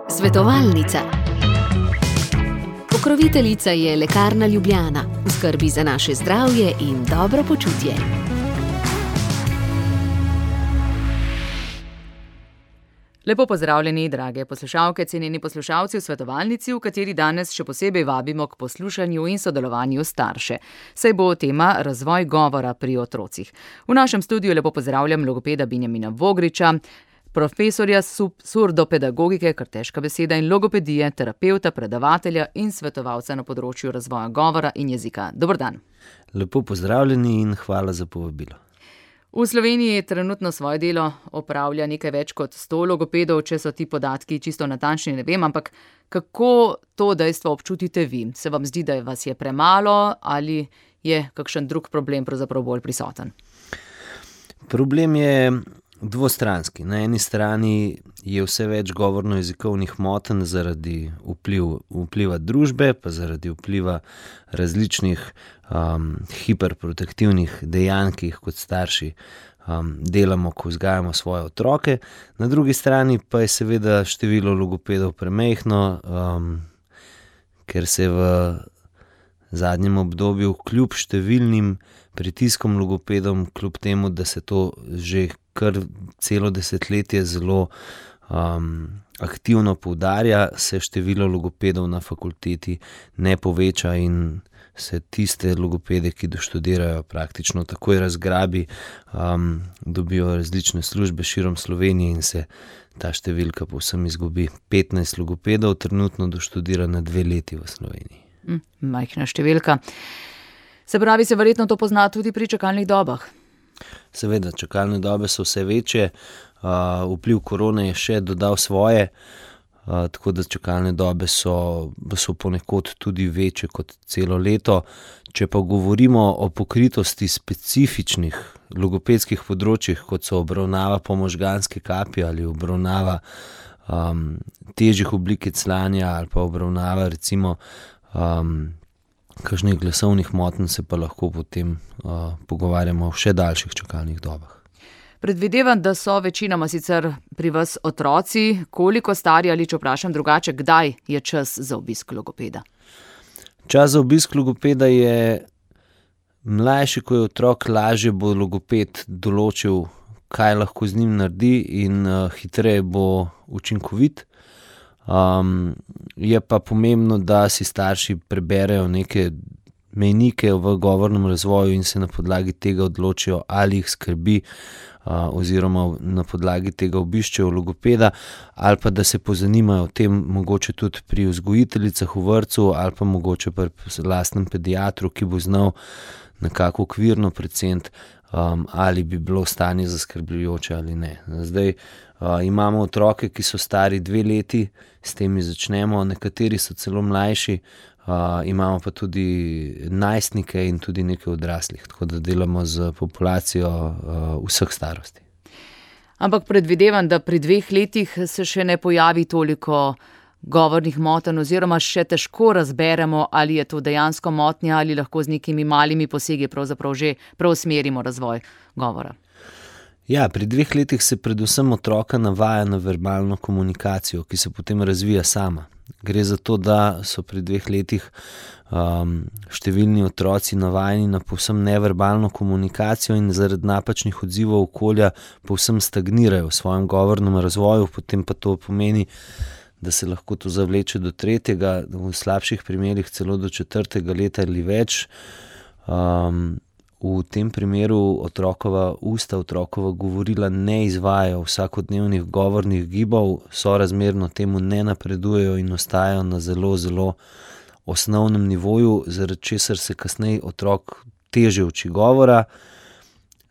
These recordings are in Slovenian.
Svetovalnica. Pokroviteljica je Lekarna Ljubljana, v skrbi za naše zdravje in dobro počutje. Lepo pozdravljeni, drage poslušalke, cenjeni poslušalci v Svetovalnici, v kateri danes še posebej vabimo k poslušanju in sodelovanju starše. Saj bo tema razvoj govora pri otrocih. V našem studiu lepo pozdravljam logopeda Benjamina Vogriča, profesorja surdopedagogike, kar težka beseda, in logopedije, terapevta, predavatelja in svetovalca na področju razvoja govora in jezika. Dober dan. Lepo pozdravljeni in hvala za povabilo. V Sloveniji trenutno svoje delo opravlja nekaj več kot 100 logopedov, če so ti podatki čisto natančni, ne vem, ampak kako to dejstvo občutite vi? Se vam zdi, da vas je premalo ali je kakšen drug problem pravzaprav bolj prisoten? Problem je dvostranski. Na eni strani je vse več govorno-jezikovnih motenj zaradi vpliva družbe, pa zaradi vpliva različnih hiperprotektivnih dejanj, ki jih kot starši delamo, ko vzgajamo svoje otroke. Na drugi strani pa je seveda število logopedov premajhno, ker se je v zadnjem obdobju kljub številnim pritiskom logopedom, kljub temu, da se to že kar celo desetletje zelo aktivno poudarja, se število logopedov na fakulteti ne poveča in se tiste logopede, ki doštudirajo, praktično takoj razgrabi, dobijo različne službe širom Slovenije in se ta številka povsem izgubi. 15 logopedov trenutno doštudira na 2 leti v Sloveniji. Majhna številka. Se pravi, se verjetno to pozna tudi pri čakalnih dobah? Seveda, čakalne dobe so vse večje, vpliv korone je še dodal svoje, tako da čakalne dobe so ponekod tudi večje kot celo leto. Če pa govorimo o pokritosti specifičnih logopedskih področjih, kot so obravnava po možganske kapi ali obravnava težjih oblik clanja ali pa obravnava recimo kakšnih glasovnih motenj, se pa lahko potem pogovarjamo o še daljših čakalnih dobah. Predvidevam, da so večinoma sicer pri vas otroci. Koliko stari ali, če vprašam drugače, kdaj je čas za obisk logopeda? Čas za obisk logopeda je mlajši, ko je otrok, lažje bo logoped določil, kaj lahko z njim naredi in hitreje bo učinkovit. Je pa pomembno, da si starši preberejo neke mejnike v govornem razvoju in se na podlagi tega odločijo, ali jih skrbi oziroma na podlagi tega obiščejo logopeda, ali pa da se pozanimajo o tem mogoče tudi pri vzgojiteljicah v vrtcu ali pa mogoče pri lastnem pediatru, ki bo znal nekako okvirno preceniti, ali bi bilo stanje zaskrbljujoče ali ne. Zdaj imamo otroke, ki so stari 2 leti, s temi začnemo, nekateri so celo mlajši, imamo pa tudi najstnike in tudi nekaj odraslih, tako da delamo z populacijo vseh starosti. Ampak predvidevam, da pri 2 letih se še ne pojavi toliko govornih motenj oziroma še težko razberemo, ali je to dejansko motnja ali lahko z nekimi malimi posegi pravzaprav že preusmerimo razvoj govora. Ja, pri 2 letih se predvsem otroka navaja na verbalno komunikacijo, ki se potem razvija sama. Gre za to, da so pri 2 letih številni otroci navajeni na povsem neverbalno komunikacijo in zaradi napačnih odzivov okolja povsem stagnirajo v svojem govornem razvoju, potem pa to pomeni, da se lahko to zavleče do 3., v slabših primerih celo do 4. leta ali več. V tem primeru otrokova usta, otrokova govorila ne izvajajo vsakodnevnih govornih gibov, sorazmerno temu ne napredujejo in ostajajo na zelo, zelo osnovnem nivoju, zaradi česar se kasneje otrok težje uči govora,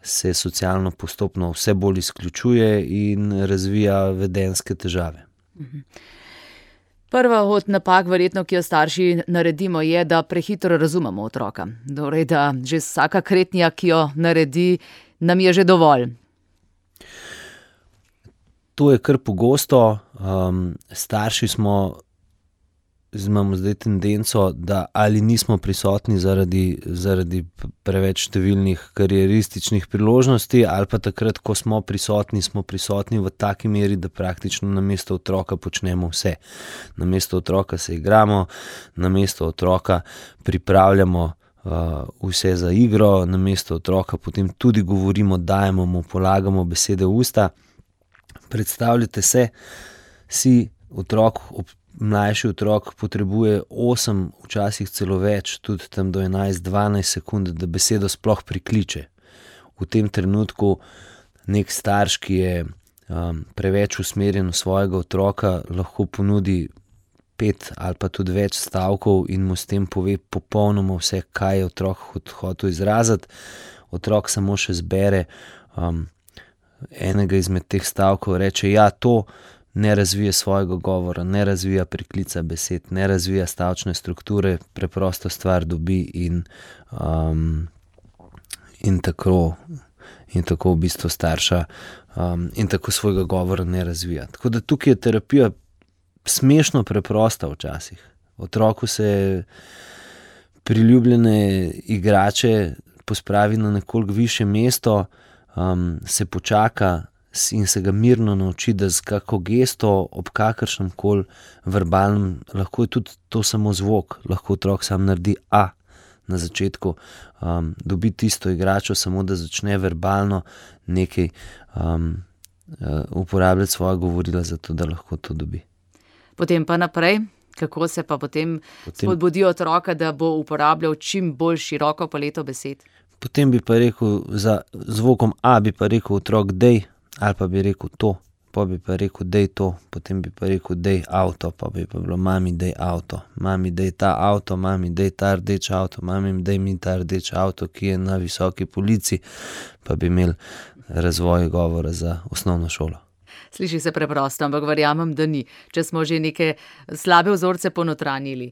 se socialno postopno vse bolj izključuje in razvija vedenjske težave. Prva od napak, verjetno, ki jo starši naredimo, je, da prehitro razumemo otroka. Torej, da že vsaka kretnja, ki jo naredi, nam je že dovolj. To je kar pogosto. Starši smo imamo zdaj tendenco, da ali nismo prisotni zaradi preveč številnih karierističnih priložnosti, ali pa takrat, ko smo prisotni v taki meri, da praktično namesto otroka počnemo vse. Namesto otroka se igramo, namesto otroka pripravljamo vse za igro, namesto otroka potem tudi govorimo, dajemo mu, polagamo besede v usta. Predstavljate si otrok, mlajši otrok potrebuje 8, včasih celo več, tudi tam do 11-12 sekund, da besedo sploh prikliče. V tem trenutku nek starš, ki je preveč usmerjen v svojega otroka, lahko ponudi 5 ali pa tudi več stavkov in mu s tem pove popolnoma vse, kaj je otrok hotel izraziti. Otrok samo še zbere enega izmed teh stavkov, reče, ja, to ne razvija svojega govora, ne razvija priklica besed, ne razvija stavčne strukture, preprosto stvar dobi in tako v bistvu starša in tako svojega govora ne razvija. Tako da tukaj je terapija smešno preprosta včasih. Otroku se priljubljene igrače pospravi na nekoliko višje mesto, se počaka in se ga mirno nauči, da z kako gesto, ob kakršnem koli verbalnem, lahko je tudi to samo zvok, lahko otrok sam naredi A na začetku, dobi tisto igračo, samo da začne verbalno nekaj uporabljati svoja govorila, zato da lahko to dobi. Potem pa naprej, kako se pa potem spodbudi otroka, da bo uporabljal čim bolj široko paleto besed? Potem bi pa rekel, za zvokom A bi pa rekel otrok dej, ali pa bi rekel to, pa bi pa rekel dej to, potem bi pa rekel dej avto, pa bi pa bilo mami dej avto, mami dej ta avto, mami dej ta rdeč avto, mami dej mi ta rdeč avto, ki je na visoki polici, pa bi imeli razvoj govora za osnovno šolo. Sliši se preprosto, ampak verjamem, da ni. Če smo že neke slabe vzorce ponotranjili,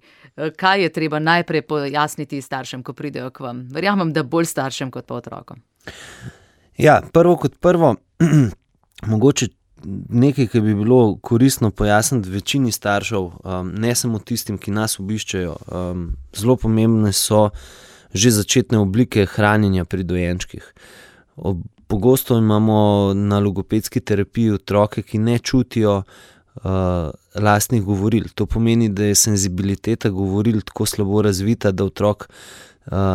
kaj je treba najprej pojasniti staršem, ko pridejo k vam? Verjamem, da bolj staršem kot pa otrokom. Ja, prvo kot prvo, mogoče nekaj, ki bi bilo koristno pojasniti večini staršev, ne samo tistim, ki nas obiščejo. Zelo pomembne so že začetne oblike hranjenja pri dojenčkih. Pogosto imamo na logopedski terapiji otroke, ki ne čutijo lastnih govoril. To pomeni, da je senzibiliteta govoril tako slabo razvita, da otrok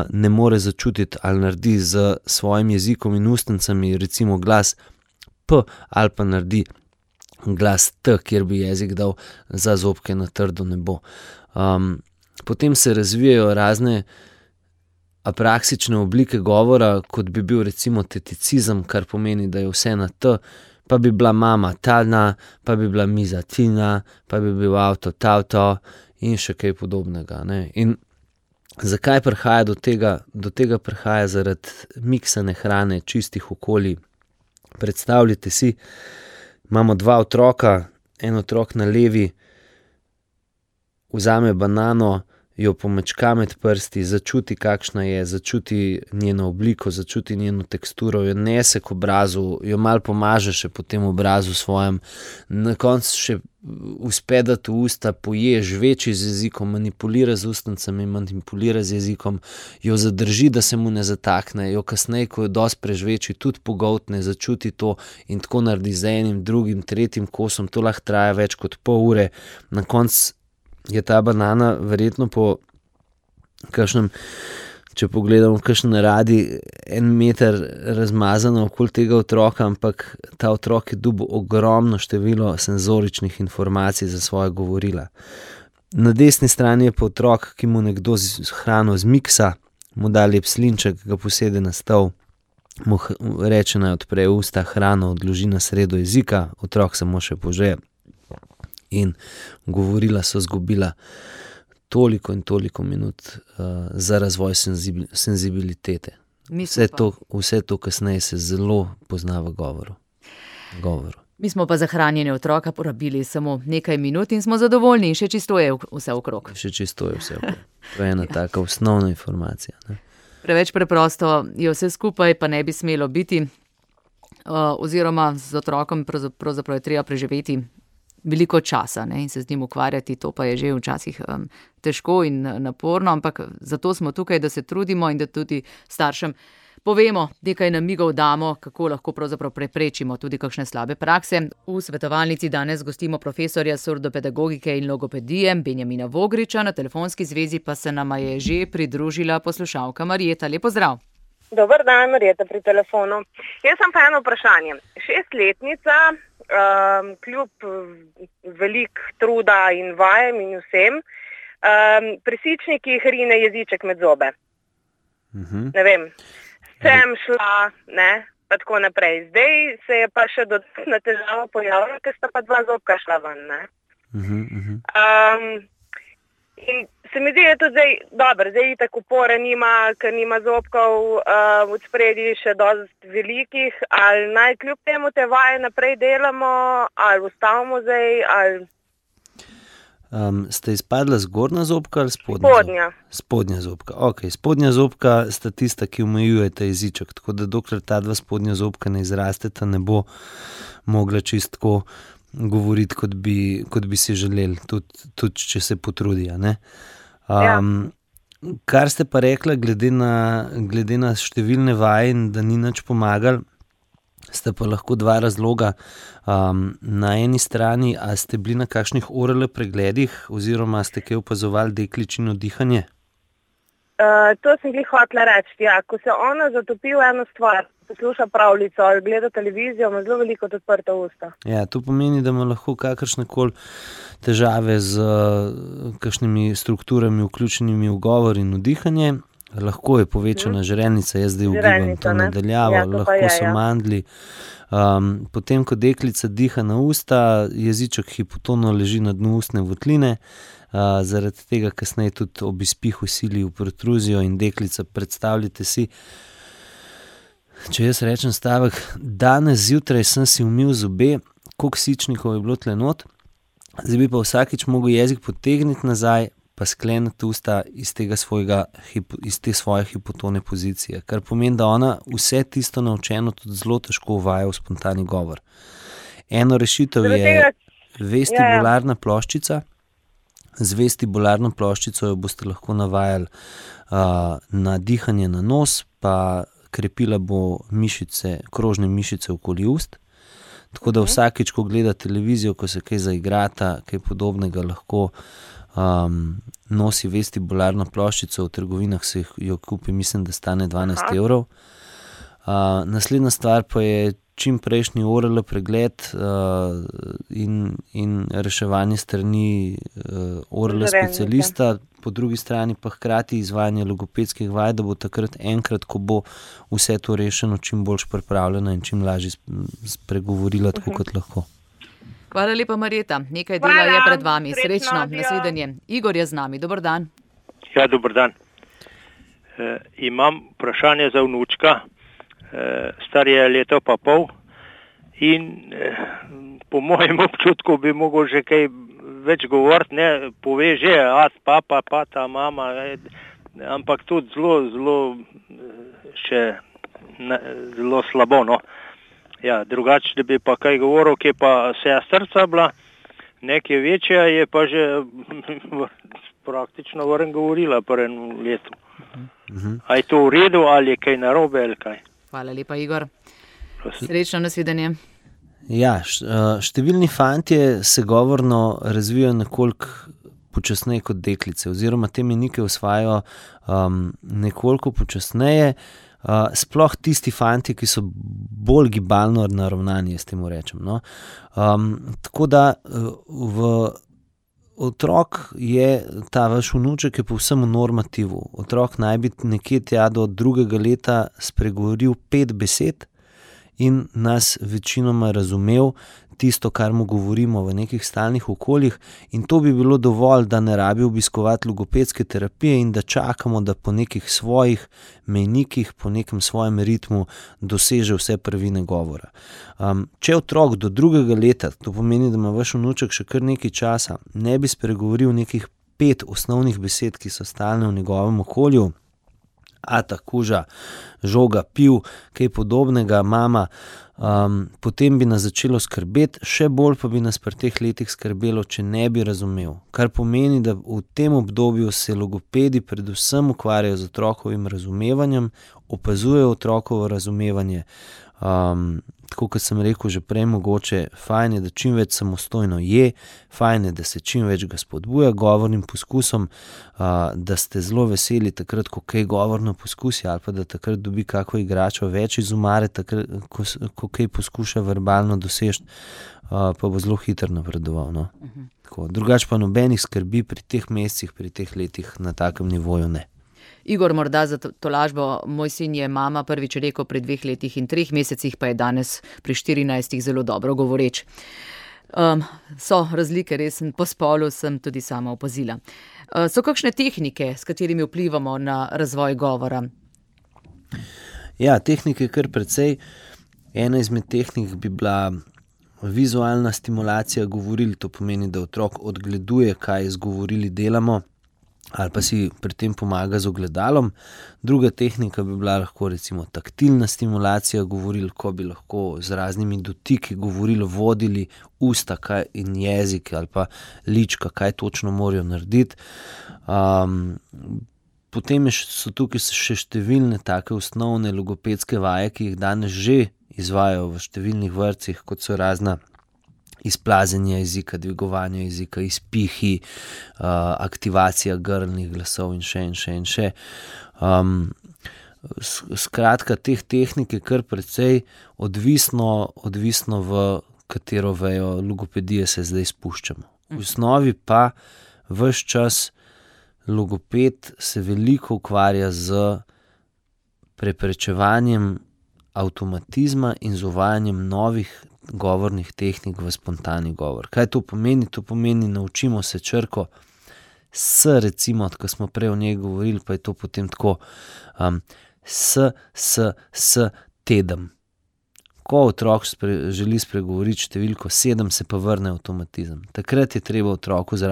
ne more začutiti ali naredi z svojim jezikom in ustnicami recimo glas P ali pa naredi glas T, kjer bi jezik dal za zobke na trdo nebo. Potem se razvijajo razne apraksične oblike govora, kot bi bil recimo teticizem, kar pomeni, da je vse na T, pa bi bila mama tana, pa bi bila miza tina, pa bi bil avto tavto in še kaj podobnega, ne. In zakaj prihaja do tega? Do tega prihaja zaradi miksane hrane, čistih okolij. Predstavljajte si, imamo 2 otroka, en otrok na levi vzame banano, jo pomečka med prsti, začuti, kakšna je, začuti njeno obliko, začuti njeno teksturo, jo nese k obrazu, jo malo pomaže še po tem obrazu svojem, na koncu še uspe dati v usta, poje, žveči z jezikom, manipulira z ustnicami, manipulira z jezikom, jo zadrži, da se mu ne zatakne, jo kasneje, ko jo dosti prežveči, tudi pogoltne, začuti to in tako naredi z enim, drugim, tretjim kosom, to lahko traja več kot pol ure, na koncu je ta banana verjetno po kakšnem, če pogledamo kakšen radi, 1 meter razmazana okoli tega otroka, ampak ta otrok je dobil ogromno število senzoričnih informacij za svoje govorila. Na desni strani je pa otrok, ki mu nekdo hrano zmiksa, mu da lep slinček, ga posede na stol, mu reče, naj odpre usta, hrano odloži na sredo jezika, otrok samo še pože. In govorila so zgubila toliko in toliko minut za razvoj senzibilitete. Vse to kasneje se zelo pozna v govoru. Mi smo pa za hranjenje otroka porabili samo nekaj minut in smo zadovoljni in še čisto je vse okrog. Še čisto je vse okrog. To je ena taka osnovna informacija. Ne? Preveč preprosto je vse skupaj, pa ne bi smelo biti. Oziroma z otrokom pravzaprav je treba preživeti veliko časa, ne, in se z njim ukvarjati, to pa je že včasih težko in naporno, ampak zato smo tukaj, da se trudimo in da tudi staršem povemo, nekaj namigov damo, kako lahko pravzaprav preprečimo tudi kakšne slabe prakse. V svetovalnici danes gostimo profesorja surdopedagogike in logopedije Benjamina Vogriča, na telefonski zvezi pa se nama je že pridružila poslušalka Marjeta. Lep pozdrav. Dober dan, Marjeta pri telefonu. Jaz sem pa eno vprašanje. 6-letnica, kljub velik truda in vajem in vsem, pri sičnikih rine jeziček med zobe. Ne vem. Sem šla, ne, pa tako naprej. Zdaj se je pa še dodatna težava pojavila, ker sta pa 2 zobka šla ven, ne. In se mi zdi, da je tudi zdaj, dobro, zdaj itak upore nima, ker nima zobkov od spredi še dosti velikih, ali naj kljub temu te vaje naprej delamo, ali ustavimo zdaj, ali... Ste izpadla zgornja zobka ali spodnja? Spodnja. Spodnja zobka, ok. Spodnja zobka sta tista, ki omejujeta jeziček, tako da dokler ta 2 spodnja zobka ne izrasteta, ne bo mogla čistko govoriti, kot bi si želeli, tudi če se potrudi, ne? Kar ste pa rekla, glede na številne vaje in da ni nič pomagal, sta pa lahko 2 razloga. Na eni strani, a ste bili na kakšnih ORL pregledih oziroma ste kaj opazovali dekličino dihanje? To sem glih hotela reči, ja. Ko se ona zatopi v eno stvar, posluša pravljico ali gleda televizijo, ima zelo veliko odprta usta. Ja, to pomeni, da ima lahko kakršnekoli težave z kakšnimi strukturami vključenimi v govor in v dihanje. Lahko je povečana žrelnica, jaz zdaj ugibam to nadaljavo, lahko so mandli. Potem, ko deklica diha na usta, jeziček hipotono leži na dnu ustne votline, zaradi tega kasneje tudi ob izpihu sili v protruzijo in deklica, predstavljate si, če jaz rečem stavek, danes zjutraj sem si umil zobe, koliko sičnikov je bilo tle not, zdaj bi pa vsakič mogel jezik potegniti nazaj, pa skleniti usta iz te svoje hipotone pozicije, kar pomeni, da ona vse tisto naučeno tudi zelo težko uvaja v spontani govor. Eno rešitev je vestibularna ploščica. Z vestibularno ploščico jo boste lahko navajali na dihanje na nos, pa krepila bo krožne mišice okoli ust. Tako da vsakič, ko gleda televizijo, ko se kaj zaigrata, kaj podobnega, lahko nosi vestibularno ploščico, v trgovinah se jo kupi, mislim, da stane 12 evrov. Naslednja stvar pa je čim prejšnji ORL pregled in reševanje strani ORL specialista, po drugi strani pa hkrati izvajanje logopedskih vaj, da bo takrat enkrat, ko bo vse to rešeno, čim boljš pripravljena in čim lažje spregovorila tako kot lahko. Hvala lepa, Marjeta. Nekaj dela je pred vami. Srečno, nasvidenje. Igor je z nami. Dober dan. Ja, dober dan. Imam vprašanje za vnučka. Star je 1,5 leta in po mojem občutku bi mogel že kaj več govoriti, ne, pove že, papa, pata, mama, ampak tudi zelo slabo, no. Ja, drugače, da bi pa kaj govoril, ki je pa sestrca bila, nekaj večja, je pa že praktično vrn govorila po enem letu. A je to v redu ali je kaj narobe ali kaj? Hvala lepa, Igor. Srečno, nasvidenje. Ja, številni fantje se govorno razvijajo nekoliko počasneje kot deklice, oziroma te mejnike usvajajo nekoliko počasneje, sploh tisti fantje, ki so bolj gibalno naravnani, s tem rečem, no. Tako da otrok je, ta vaš vnuček je povsem v normativu. Otrok naj bi nekje tja do 2. leta spregovoril 5 besed in nas večinoma razumel tisto, kar mu govorimo v nekih stalnih okoljih, in to bi bilo dovolj, da ne rabi obiskovati logopedske terapije in da čakamo, da po nekih svojih mejnikih, po nekem svojem ritmu doseže vse prvine govora. Če otrok do 2. leta, to pomeni, da ima vaš vnuček še kar nekaj časa, ne bi spregovoril nekih 5 osnovnih besed, ki so stalne v njegovem okolju, ata, kuža, žoga, piv, kaj podobnega, mama, potem bi nas začelo skrbeti, še bolj pa bi nas pri teh letih skrbelo, če ne bi razumel. Kar pomeni, da v tem obdobju se logopedi predvsem ukvarjajo z otrokovim razumevanjem, opazujejo otrokovo razumevanje. Tako kot sem rekel že prej, mogoče fajn je, da čim več samostojno je, fajn je, da se čim več ga spodbuja govornim poskusom, da ste zelo veseli takrat, ko kaj govorno poskusi, ali pa da takrat dobi kako igračo več iz omare, takrat, ko kaj poskuša verbalno doseči, pa bo zelo hitro napredoval. No? Drugače pa nobenih skrbi pri teh mesecih, pri teh letih na takem nivoju ne. Igor, morda za tolažbo, moj sin je mama prvič rekel pri 2 letih in 3 mesecih, pa je danes pri 14 zelo dobro govoreč. So razlike, res po spolu sem tudi sama opazila. So kakšne tehnike, s katerimi vplivamo na razvoj govora? Ja, tehnike kar precej. Ena izmed tehnik bi bila vizualna stimulacija govoril, to pomeni, da otrok odgleduje, kaj z govorili delamo, ali pa si pri tem pomaga z ogledalom. Druga tehnika bi bila lahko recimo taktilna stimulacija govoril, ko bi lahko z raznimi dotiki govoril, vodili usta in jezik ali pa lička, kaj točno morajo narediti. Potem so tukaj še številne take osnovne logopedske vaje, ki jih danes že izvajajo v številnih vrtcih, kot so razna izplazenje jezika, dvigovanje jezika, izpihi, aktivacija grlnih glasov in še. Skratka, teh tehnik je kar precej, odvisno v katero vejo logopedije se zdaj spuščamo. V osnovi pa ves čas logoped se veliko ukvarja z preprečevanjem avtomatizma in z uvajanjem novih govornih tehnik v spontani govor. Kaj to pomeni? To pomeni, naučimo se črko s, recimo, ko smo prej o njej govorili, pa je to potem tako s tedem. Ko otrok želi spregovoriti številko 7, se pa vrne avtomatizem. Takrat je treba otroku z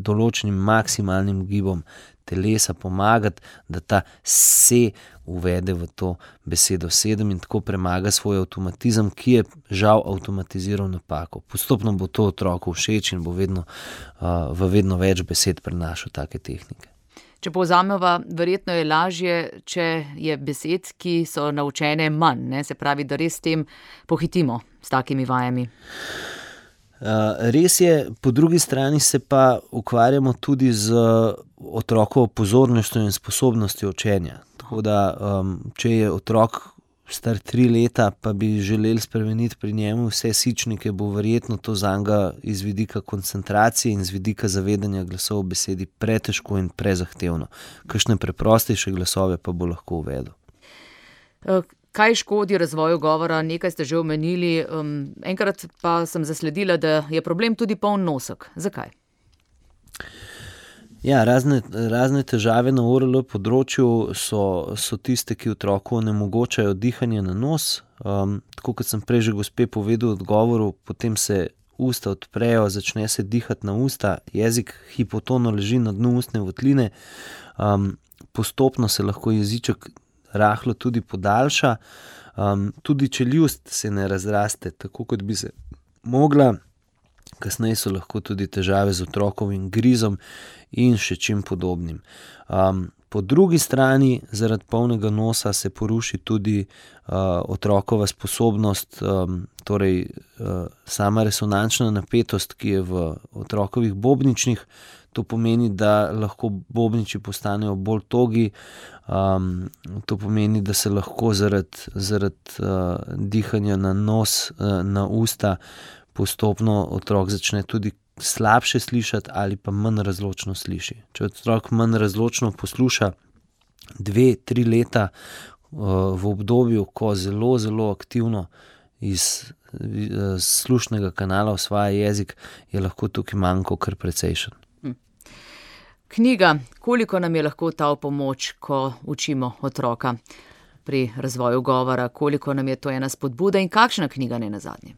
določenim maksimalnim gibom telesa pomagati, da ta se uvede v to besedo 7 in tako premaga svoj avtomatizem, ki je žal avtomatiziral napako. Postopno bo to otroku všeč in bo v vedno več besed prenašal take tehnike. Če povzameva, verjetno je lažje, če je besed, ki so naučene manj, ne? Se pravi, da res s tem pohitimo s takimi vajami. Res je, po drugi strani se pa ukvarjamo tudi z otrokovo pozornostjo in sposobnostjo učenja. Tako da, če je otrok star 3 leta, pa bi želeli spremeniti pri njemu vse sičnike, bo verjetno to zanga iz vidika koncentracije in z vidika zavedanja glasov v besedi pretežko in prezahtevno. Kakšne preprostejše glasove pa bo lahko uvedel. Kaj škodi razvoju govora? Nekaj ste že omenili. Enkrat pa sem zasledila, da je problem tudi poln nosek. Zakaj? Ja, razne težave na ORL področju so tiste, ki otroku onemogočajo dihanje na nos. Tako kot sem prej že gospe povedal v odgovoru, potem se usta odprejo, začne se dihati na usta, jezik hipotono leži na dnu ustne votline, postopno se lahko jeziček rahlo tudi podaljša, tudi čeljust se ne razraste tako, kot bi se mogla. Kasneje so lahko tudi težave z otrokovim grizom in še čim podobnim. Po drugi strani, zaradi polnega nosa se poruši tudi otrokova sposobnost, torej sama resonančna napetost, ki je v otrokovih bobničnih. To pomeni, da lahko bobniči postanejo bolj togi, to pomeni, da se lahko zaradi dihanja na nos, na usta, postopno otrok začne tudi slabše slišati ali pa manj razločno sliši. Če otrok manj razločno posluša 2-3 leta v obdobju, ko zelo, zelo aktivno iz slušnega kanala osvaja jezik, je lahko tukaj manko kar precejšen. Knjiga, koliko nam je lahko ta v pomoč, ko učimo otroka pri razvoju govora, koliko nam je to ena spodbuda in kakšna knjiga ne nazadnje?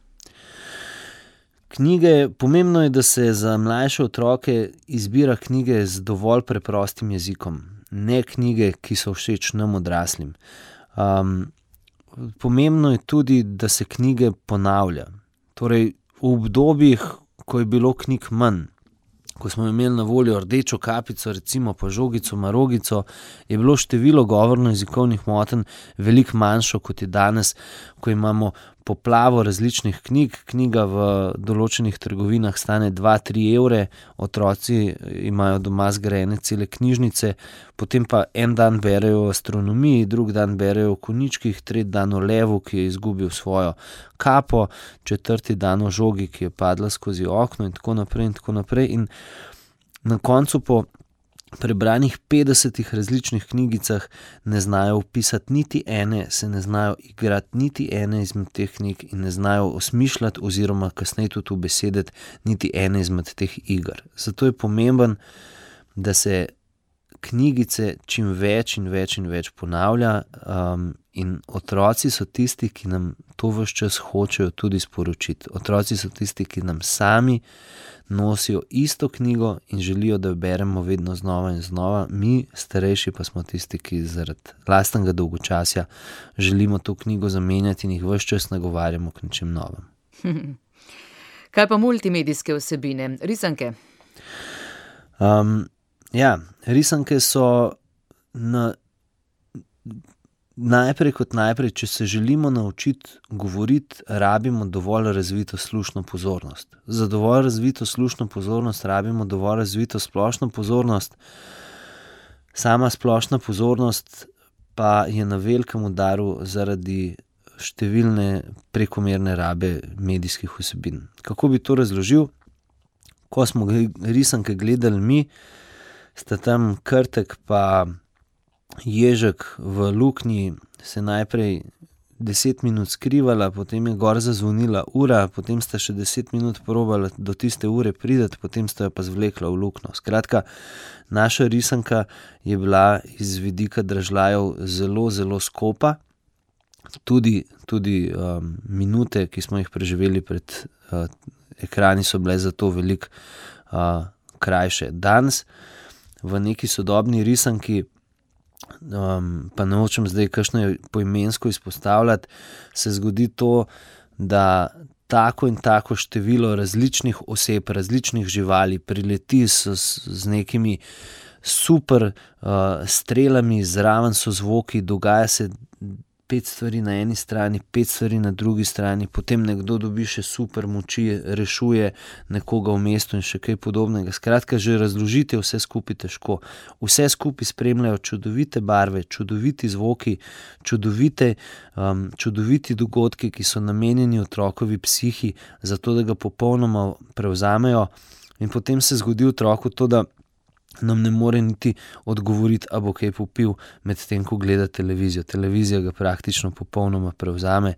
Knjige, pomembno je, da se za mlajše otroke izbira knjige z dovolj preprostim jezikom, ne knjige, ki so všeč nam odraslim. pomembno je tudi, da se knjige ponavlja. Torej, v obdobjih, ko je bilo knjig manj, ko smo imeli na voljo rdečo kapico, recimo pa žogico, marogico, je bilo število govorno-jezikovnih motenj veliko manjšo, kot je danes, ko imamo poplavo različnih knjig. Knjiga v določenih trgovinah stane 2-3 evre, otroci imajo doma zgrajene cele knjižnice, potem pa en dan berejo o astronomiji, drug dan berejo o konjičkih, tretji dan o levu, ki je izgubil svojo kapo, četrti dan o žogi, ki je padla skozi okno in tako naprej in tako naprej. In na koncu po prebranih 50 različnih knjigicah ne znajo vpisati niti ene, se ne znajo igrati niti ene izmed teh knjig in ne znajo osmišljati oziroma kasneje tudi ubesediti niti ene izmed teh iger. Zato je pomemben, da se knjigice čim več in več in več ponavlja, in otroci so tisti, ki nam to ves čas hočejo tudi sporočiti. Otroci so tisti, ki nam sami nosijo isto knjigo in želijo, da jo beremo vedno znova in znova. Mi, starejši, pa smo tisti, ki zaradi lastnega dolgočasja želimo to knjigo zamenjati in jih ves čas nagovarjamo k nečem novem. Kaj pa multimedijske vsebine, risanke? Ja, risanke so najprej, če se želimo naučiti govoriti, rabimo dovolj razvito slušno pozornost. Za dovolj razvito slušno pozornost rabimo dovolj razvito splošno pozornost. Sama splošna pozornost pa je na velikem udaru zaradi številne prekomerne rabe medijskih vsebin. Kako bi to razložil? Ko smo risanke gledali mi, sta tam Krtek pa Ježek v luknji se najprej 10 minut skrivala, potem je gor zazvonila ura, potem sta še 10 minut probala do tiste ure priti, potem sta jo pa zvlekla v luknjo. Skratka, naša risanka je bila iz vidika dražljajev zelo, zelo skopa. Tudi minute, ki smo jih preživeli pred ekrani, so bile zato veliko krajše. Danes v neki sodobni risanki, pa ne hočem zdaj kakšno poimensko izpostavljati, se zgodi to, da tako in tako število različnih oseb, različnih živali prileti z nekimi super strelami, zraven so zvoki, dogaja se 5 stvari na eni strani, 5 stvari na drugi strani, potem nekdo dobi še super moči, rešuje nekoga v mestu in še kaj podobnega. Skratka, že razložiti je vse skupaj težko. Vse skupaj spremljajo čudovite barve, čudoviti zvoki, čudoviti dogodki, ki so namenjeni otrokovi psihi, zato da ga popolnoma prevzamejo, in potem se zgodi otroku to, da nam ne more niti odgovoriti, a bo kaj popil med tem, ko gleda televizijo. Televizija ga praktično popolnoma prevzame.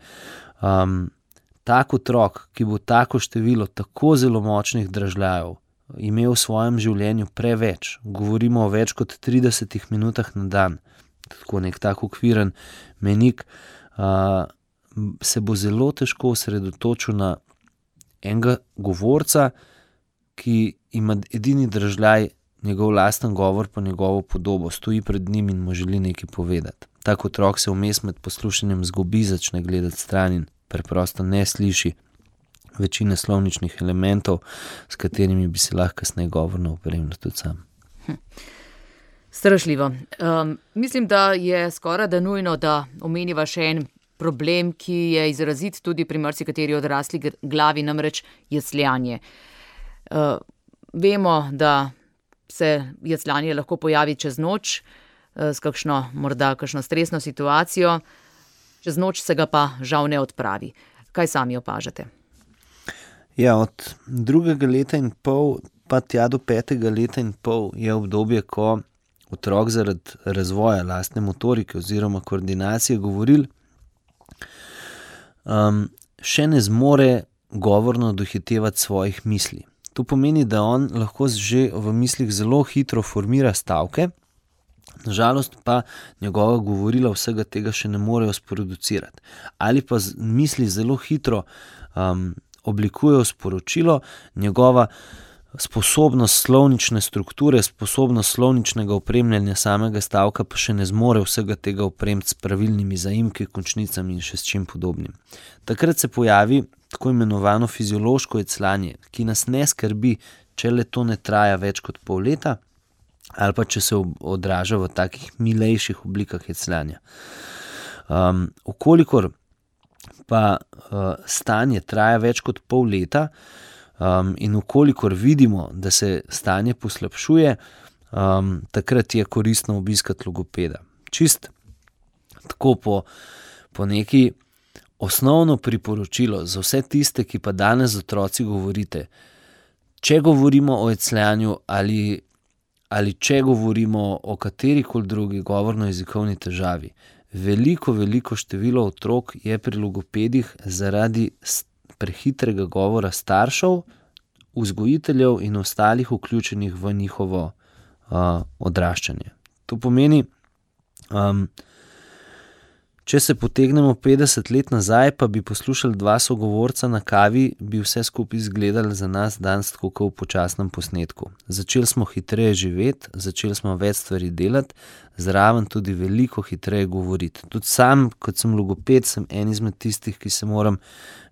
Tak otrok, ki bo tako število tako zelo močnih dražljajev imel v svojem življenju preveč, govorimo o več kot 30 minutah na dan, tako nek tak okviren mejnik, se bo zelo težko osredotočil na enega govorca, ki ima edini dražljaj njegov lasten govor pa njegovo podobo, stoji pred njim in mu želi nekaj povedati. Tak otrok se vmes med poslušanjem zgubi, začne gledati stran in preprosto ne sliši večine slovničnih elementov, s katerimi bi se lahko kasneje govorno opremljal tudi sam. Strašljivo. Mislim, da je skoraj da nujno, da omeniva še en problem, ki je izrazit tudi pri marsikateri odrasli glavi, namreč jecljanje. Vemo, da se jecljanje lahko pojavi čez noč, s morda kakšno stresno situacijo, čez noč se ga pa žal ne odpravi. Kaj sami opažate? Ja, od 2. leta in pol pa tja do 5. leta in pol je obdobje, ko otrok zaradi razvoja lastne motorike oziroma koordinacije govoril še ne zmore govorno dohitevati svojih misli. To pomeni, da on lahko že v mislih zelo hitro formira stavke, nažalost pa njegova govorila vsega tega še ne morejo sproducirati. Ali pa misli zelo hitro oblikujejo sporočilo, njegova sposobnost slovnične strukture, sposobnost slovničnega opremljanja samega stavka pa še ne zmore vsega tega opremiti s pravilnimi zaimki, končnicami in še s čim podobnim. Takrat se pojavi tako imenovano fiziološko jecljanje, ki nas ne skrbi, če le to ne traja več kot pol leta, ali pa če se odraža v takih milejših oblikah jecljanja. Okolikor pa stanje traja več kot pol leta, in okolikor vidimo, da se stanje poslabšuje, takrat je koristno obiskati logopeda. Čist tako po neki osnovno priporočilo za vse tiste, ki pa danes z otroci govorite, če govorimo o jecljanju ali če govorimo o katerikoli drugi govorno-jezikovni težavi, veliko število otrok je pri logopedih zaradi prehitrega govora staršev, vzgojiteljev in ostalih vključenih v njihovo odraščanje. To pomeni, če se potegnemo 50 let nazaj, pa bi poslušali dva sogovorca na kavi, bi vse skupaj izgledali za nas danes tako kot v počasnem posnetku. Začeli smo hitreje živeti, začeli smo več stvari delati, zraven tudi veliko hitreje govoriti. Tudi sam, kot sem logoped, sem en izmed tistih, ki se moram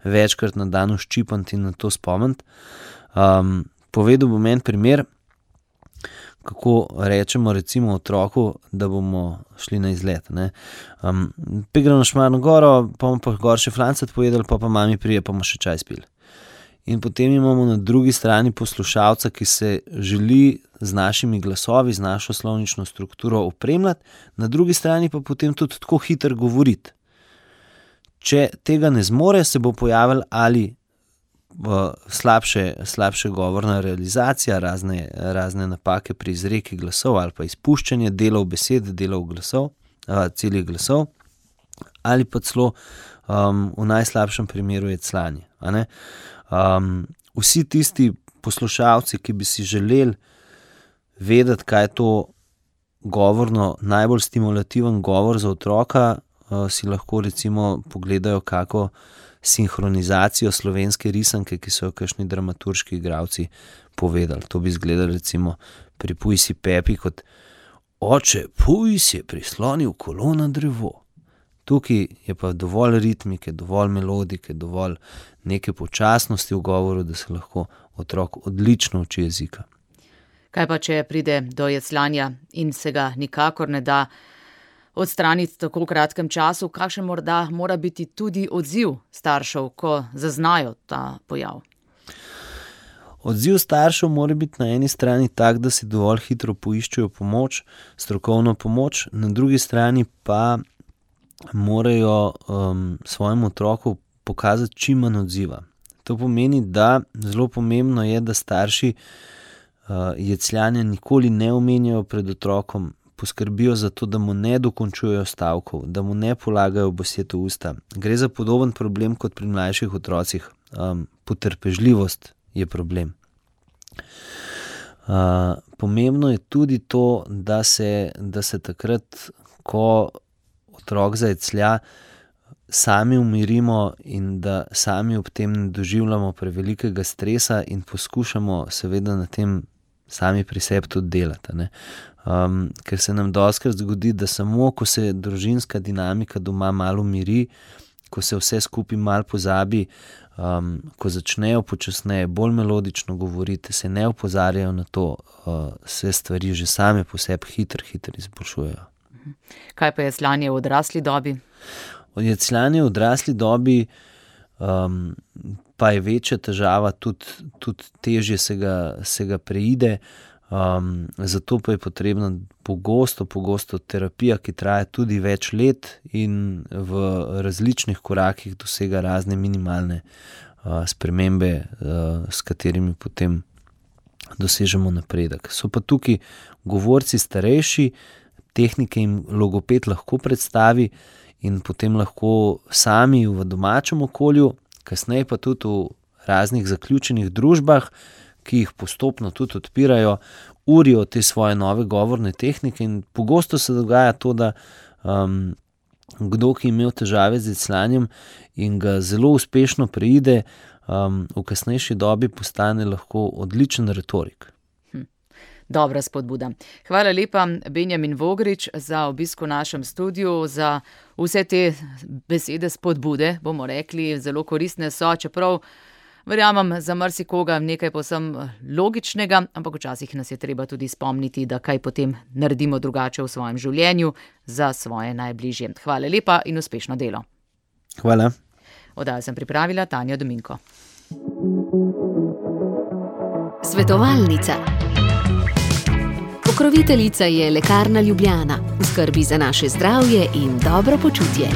večkrat na dan ščipati in na to spomniti. Povedal bom en primer, kako rečemo recimo otroku, da bomo šli na izlet. Gremo na Šmarno goro, pa bomo pa gor še flancet pojedali, pa mami prije, pa bomo še čaj spili. In potem imamo na drugi strani poslušalca, ki se želi z našimi glasovi, z našo slovnično strukturo opremljati, na drugi strani pa potem tudi tako hitro govoriti. Če tega ne zmore, se bo pojavil ali slabše govorna realizacija, razne napake pri izreki glasov ali pa izpuščanje delov besed, delov glasov, celih glasov, ali pa celo v najslabšem primeru jecljanje. Vsi tisti poslušalci, ki bi si želeli vedeti, kaj je to govorno, najbolj stimulativen govor za otroka, si lahko recimo pogledajo kako sinhronizacijo slovenske risanke, ki so jo kakšni dramaturški igralci povedali. To bi izgledalo recimo pri Puj si Pepi kot oče, Puj si je prislonil kolo na drevo. Tukaj je pa dovolj ritmike, dovolj melodike, dovolj neke počasnosti v govoru, da se lahko otrok odlično uči jezika. Kaj pa, če pride do jecljanja in se ga nikakor ne da odstraniti v tako kratkem času, kakšen morda mora biti tudi odziv staršev, ko zaznajo ta pojav? Odziv staršev mora biti na eni strani tak, da si dovolj hitro poiščejo pomoč, strokovno pomoč, na drugi strani pa morajo svojemu otroku pokazati čim manj odziva. To pomeni, da zelo pomembno je, da starši jecljanja nikoli ne omenjajo pred otrokom, poskrbijo za to, da mu ne dokončujejo stavkov, da mu ne polagajo besed v usta. Gre za podoben problem kot pri mlajših otrocih. Potrpežljivost je problem. Pomembno je tudi to, da se takrat, ko otrok zajeclja, sami umirimo in da sami ob tem ne doživljamo prevelikega stresa in poskušamo seveda na tem sami pri sebi tudi delati. Ker se nam dostikrat zgodi, da samo ko se družinska dinamika doma malo umiri, ko se vse skupaj malo pozabi, ko začnejo počasneje, bolj melodično govoriti, se ne opozarjajo na to, se stvari že same po sebi hitro izboljšujejo. Kaj pa jecljanje v odrasli dobi? Jecljanje v odrasli dobi pa je večja težava, tudi težje se ga preide, zato pa je potrebna pogosto terapija, ki traja tudi več let in v različnih korakih dosega razne minimalne spremembe, s katerimi potem dosežemo napredek. So pa tukaj govorci starejši, tehnike jim logoped lahko predstavi in potem lahko sami v domačem okolju, kasneje pa tudi v raznih zaključenih družbah, ki jih postopno tudi odpirajo, urijo te svoje nove govorne tehnike in pogosto se dogaja to, da kdo, ki je imel težave z jecljanjem in ga zelo uspešno preide, v kasnejši dobi postane lahko odličen retorik. Dobra spodbuda. Hvala lepa, Benjamin Vogrič, za obisk v našem studiu, za vse te besede spodbude, bomo rekli, zelo koristne so, čeprav verjamem za marsikoga nekaj povsem logičnega, ampak včasih nas je treba tudi spomniti, da kaj potem naredimo drugače v svojem življenju za svoje najbližje. Hvala lepa in uspešno delo. Hvala. Oddajo sem pripravila Tanja Dominko. Svetovalnica. Pokroviteljica je Lekarna Ljubljana, v skrbi za naše zdravje in dobro počutje.